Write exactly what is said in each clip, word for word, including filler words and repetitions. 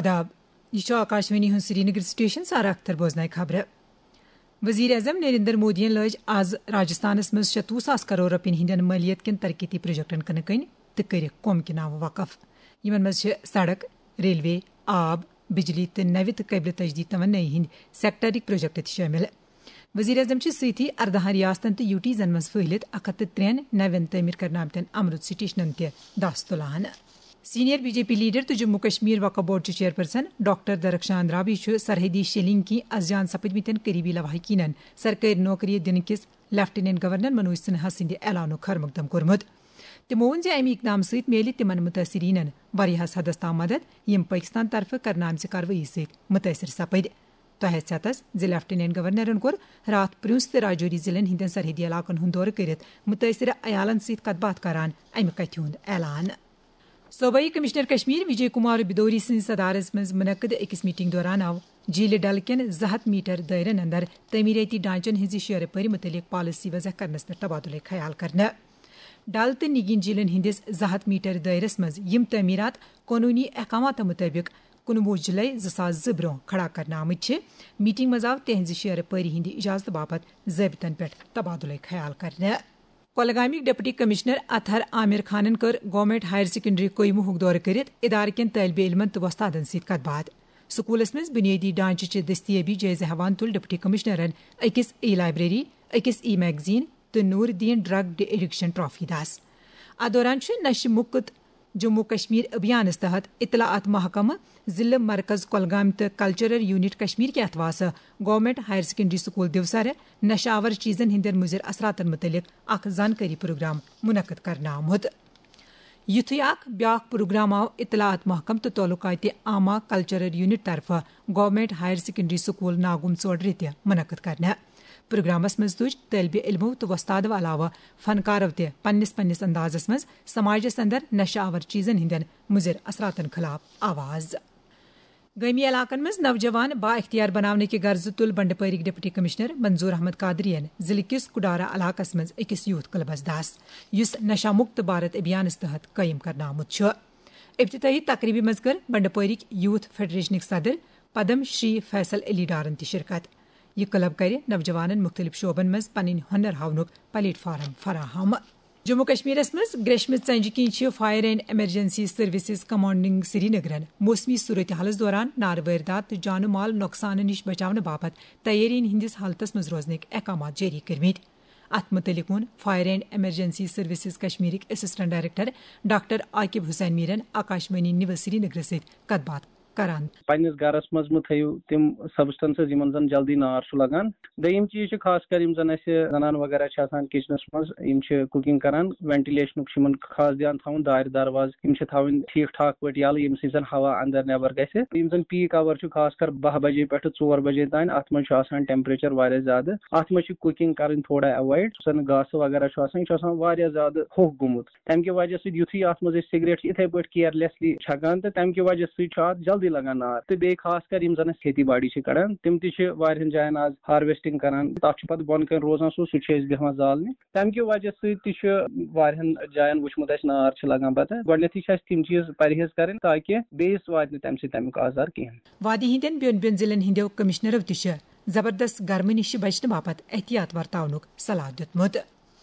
آداب، یہِ چھُ آکاشوانی ہُنٛد سرینگر سٹیشن۔ سارا اختر بوزناوِ خبرٕ۔ وزیر اعظم نریندر مودیَن لٲج آز راجستھانس منٛز شتوُہ ساس کرور رۄپین ہٕنٛدٮ۪ن مٲلیت کٮ۪ن ترقیتی پروجیکٹن کٕنہٕ کٔنۍ تہٕ کٔرِکھ قوم کہِ ناوٕ وقف۔ یِمن منٛز چھِ سڑک، ریلوے، آب، بجلی تہٕ نوِ تہٕ قٲبلِ تجدید توانٲیی ہٕنٛدۍ سیکٹرٕکۍ پروجیکٹ تہِ شٲمِل۔ وزیر اعظم چھِ سۭتی ارداہن ریاستن تہٕ یوٗٹیٖزن منٛز پھٔہلِتھ اکھ ہتھ تہٕ ترٛٮ۪ن نوٮ۪ن تعمیٖر کرنہٕ آمتٮ۪ن امرُت سٹیشنن تہِ دس تُلان۔ Senior B J P leader تہٕ جموں کشمیر وقف بورڈ چہِ چیئرپرسن ڈاکٹر درخشان رابی چھُ سرحدی شیلنگ کِنۍ ازجان سپدمٕتٮ۪ن قریبی لواحقینن سرکٲرۍ نوکری دِنہٕ کِس لیفٹیننٹ گورنر منوج سنہا سٕنٛدِ اعلانُک خیر مقدم کوٚرمُت۔ تِمو ووٚن زِ امہِ اقدام سۭتۍ میلہِ تِمن متٲثریٖنن واریاہس حدس تام مدد، یِم پٲکستان طرفہٕ کرنہٕ آمژِ کاروٲیی سۭتۍ متٲثر سپٕدۍ۔ تۄہہِ آسہِ ژیتس زِ لیفٹیننٹ گورنرن کوٚر راتھ پرنس تہٕ راجوری ضلعن ہٕنٛدٮ۪ن سرحدی علاقن ہُنٛد دورٕ کٔرِتھ متٲثرٕ عیالن سۭتۍ کتھ باتھ کران امہِ کتھِ ہُنٛد اعلان۔ صوبائی کمشنر کشمیر وجے کمار بدوری سٕنٛدِ صدارس منٛز منعقد أکِس میٹنگ دوران آو جھیلہِ ڈل کٮ۪ن زٕ ہتھ میٹر دٲیرن اندر تعمیرٲتی ڈھانچن ہٕنٛزِ شیرٕ پٲرِ متعلق پالیسی وضع کرنس پٮ۪ٹھ تبادلہٕ خیال کرنہٕ۔ ڈل تہٕ نگین جھیلن ہٕنٛدِس زٕ ہتھ میٹر دٲیرس منٛز یِم تعمیرات قونوٗنی احکاماتو مطٲبق کُنوُہ جُلے زٕ ساس زٕ برٛونٛہہ کھڑا کرنہٕ آمٕتۍ چھِ۔ میٹنگ منٛز آو تِہنٛزِ شیرٕ پٲرِ ہٕنٛدِ اجازتہٕ باپتھ ضٲبطن پٮ۪ٹھ تبادلہٕ خیال کرنہٕ۔ کۄلگامٕکۍ ڈپٹی کمشنر اطہر عامر خانن کٔر گورنمنٹ ہائر سیکنڈری قیمہُک دورٕ کٔرِتھ ادارٕ کٮ۪ن طٲلبہِ علمن تہٕ وۄستادن سۭتۍ کتھ باتھ۔ سکولس منٛز بنیٲدی ڈھانچہٕ چہِ دستیٲبی جٲیزٕ ہٮ۪وان تُل ڈپٹی کمشنرن أکِس ای لائبریری، أکِس ای میگزین تہٕ Nooruddin drug de addiction trophy دس۔ اتھ دوران چھُ نشہٕ مُکت جموں کشمیر ابھیانس تحت اطلاعات محکمہٕ، ضلع مرکز کۄلگام تہٕ کلچرل یونٹ کشمیر کہِ اتھواسہٕ گورنمنٹ ہائر سیکنڈری سکول دیوسرٕ نشہٕ آور چیزن ہٕنٛدٮ۪ن مُضر اثراتن مُتعلق اکھ زانکٲری پروگرام منعقد کرنہٕ آمُت۔ یُتھُے اکھ بیاکھ پروگرام آو اطلاعات محکمہٕ تہٕ تعلقات عامہ کلچرل یونٹ طرفہٕ گورنمنٹ ہائر سیکنڈری سکول ناگم ژوڈرِ تہِ منعقد کرنہٕ۔ پروگرامس منٛز تُج طٲلبہِ علمو تہٕ وۄستادو علاوٕ فنکارو تہِ پننِس پننِس اندازس منٛز سماجس اندر نشہٕ آور چیزن ہٕنٛدٮ۪ن مُضر اثراتن خلاف آواز۔ گٲمی علاقن منٛز نوجوان با اختیار بناونہٕ کہِ غرضہٕ تُل بنڈپورِک ڈپٹی کمشنر منظور احمد قادری ین ضلعہٕ کِس کڈارہ علاقس منٛز أکِس یوتھ کلبس دس، یُس نشہ مکت بھارت ابھیانس تحت قٲیِم کرنہٕ آمُت چھُ۔ افتتاحی تقریبہِ منٛز کٔر بنڈپورِک یوتھ فیڈریشنٕکۍ صدر پدم شری فیصل علی ڈارن تہِ شرکت۔ یہِ کلب کرِ نوجوانن مُختٔلِف شعبن منٛز پنٕنۍ ہُنر ہاونُک پلیٹ فارم فراہم۔ جموں کشمیرس منٛز گریشمہِ ژنجہِ کِنۍ چھِ fire and emergency services commanding سرینگرن موسمی صورتحالس دوران نارٕ وٲردات تہٕ جانہٕ مال نۄقصانہٕ نِش بچاونہٕ باپتھ تیٲرین ہٕنٛدِس حالتس منٛز روزنٕکۍ احکامات جٲری کٔرمٕتۍ۔ اتھ مُتعلق ووٚن فائر اینڈ ایمرجنسی سروسز کشمیرٕکۍ assistant director doctor Aqib Hussain میرن آکاشوانی نیوز سرینگرس سۭتۍ کتھ باتھ کران۔ پننِس گرس منٛز مہٕ تھٲیِو تِم سبسٹنسز یِمن زن جلدی نار چھُ لگان۔ دوٚیِم چیٖز چھُ خاص کر یِم زن اسہِ زنان وغیرہ چھِ آسان کچنس منٛز، یِم چھِ کوکنگ کران، وینٹیلیشنُک چھُ یِمن خاص دھیان تھاوُن، دارِ دروازٕ یِم چھِ تھاوٕنۍ ٹھیٖک ٹھاک پٲٹھۍ یَلہٕ، ییٚمہِ سۭتۍ زَن ہوا اَندَر نٮ۪بَر گژھِ۔ یِم زَن پیٖک آوَر چھُ، خاص کر باہ بجے پٮ۪ٹھٕ ژور بجے تام، اَتھ منٛز چھُ آسان ٹیمپریچر واریاہ زیادٕ۔ اَتھ منٛز چھِ کوکنگ کَرٕنۍ تھوڑا ایوایڈ۔ یُس زَن گاسہٕ وغیرہ چھُ آسان، یہِ چھُ آسان واریاہ زیادٕ ہوٚکھ گوٚمُت۔ تَمہِ کہِ وجہ سۭتۍ یُتھُے اَتھ منٛز أسۍ سگریٹ چھِ یِتھَے پٲٹھۍ کیئرلیسلی چھَکان، تہٕ تَمہِ کہِ وجہ سۭتۍ چھُ اَتھ جلدی لگان نار۔ تہٕ بیٚیہِ خاص کر یِم زَن أسۍ کھیتی باڑی چھِ کَڑان، تِم تہِ چھِ واریاہَن جایَن آز ہارویسٹنگ کَران۔ تَتھ چھُ پَتہٕ بۄنہٕ کَنہِ روزان سُہ، سُہ چھِ أسۍ بیٚہوان زالنہِ۔ تَمہِ کہِ وجہ سۭتۍ تہِ چھُ واریاہَن جایَن وٕچھمُت اَسہِ نار چھِ لگان۔ پَتہٕ گۄڈٕنٮ۪تھٕے چھِ اَسہِ تِم چیٖز پرہیز کَرٕنۍ، تاکہِ بیٚیِس واتہِ نہٕ تَمہِ سۭتۍ تَمیُک آزار کِہیٖنۍ۔ وادی ہٕنٛدٮ۪ن بیوٚن بیوٚن ضلعن ہٕنٛدٮ۪و کمشنرو تہِ چھِ زبردست گرمہٕ نِش بچنہٕ باپتھ احتیاط ورتاونُک صلاح دیُتمُت۔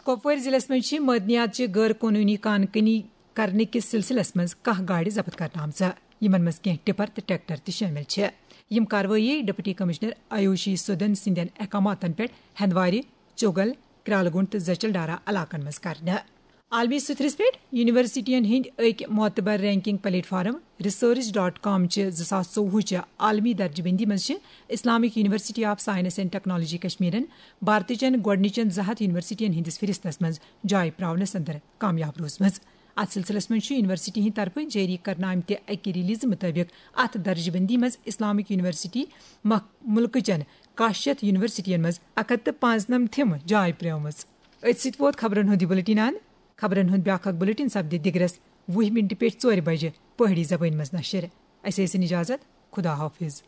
کۄپوٲرۍ ضلعس منٛز چھِ معدنیات چہِ غٲر قونوٗنی کان کٔنی کرنہٕ کِس سلسلس منٛز کاہ گاڑِ ضبط کرنہٕ آمژٕ، یِمن منٛز کینٛہہ ٹپر تہٕ ٹریکٹر تہِ شٲمِل چھِ۔ یِم کاروٲیی ڈپٹی کمشنر آیوشی سودن سٕنٛدٮ۪ن احکاماتن پٮ۪ٹھ ہندوارِ، چوگل، کرالگونڈ تہٕ زچل ڈارا علاقن منٛز کرنہٕ۔ عالمی سطحس پٮ۪ٹھ یونیورسٹین ہٕنٛدۍ أکۍ معتبر ranking platform research dot com چہِ زٕ ساس ژوٚوُہ چہِ عالمی درجہٕ بندی منٛز چھِ Islamic university of science and technology کشمیرن بھارتٕچن گۄڈٕنِچن زٕ ہتھ یونیورسٹین ہٕنٛدِس فہرستس منٛز جاے پراونس اندر کامیاب روٗزمٕژ۔ اتھ سلسلس منٛز چھُ یونیورسٹی ہٕنٛدِ طرفہٕ جٲری کرنہٕ آمتہِ اکہِ ریلیزٕ مُطٲبِق اتھ درجہٕ بندی منٛز اسلامک یونیورسٹی مخ-، مُلکٕچن کاہ شیتھ یونیورسٹین منٛز اکھ ہتھ تہٕ پانٛژنمتھِم جاے پرٛٲومٕژ۔ أتھۍ سۭتۍ ووت خبرن ہُنٛد یہِ بُلٹن اند۔ خبرن ہُنٛد بیٛاکھ اکھ بُلٹن سپدِ دِگرس وُہہِ مِنٹہِ پٮ۪ٹھ ژورِ بجہِ پہٲڑی زبٲنۍ منٛز نشر۔ اسہِ ٲسِن اجازت۔ خدا حافظ۔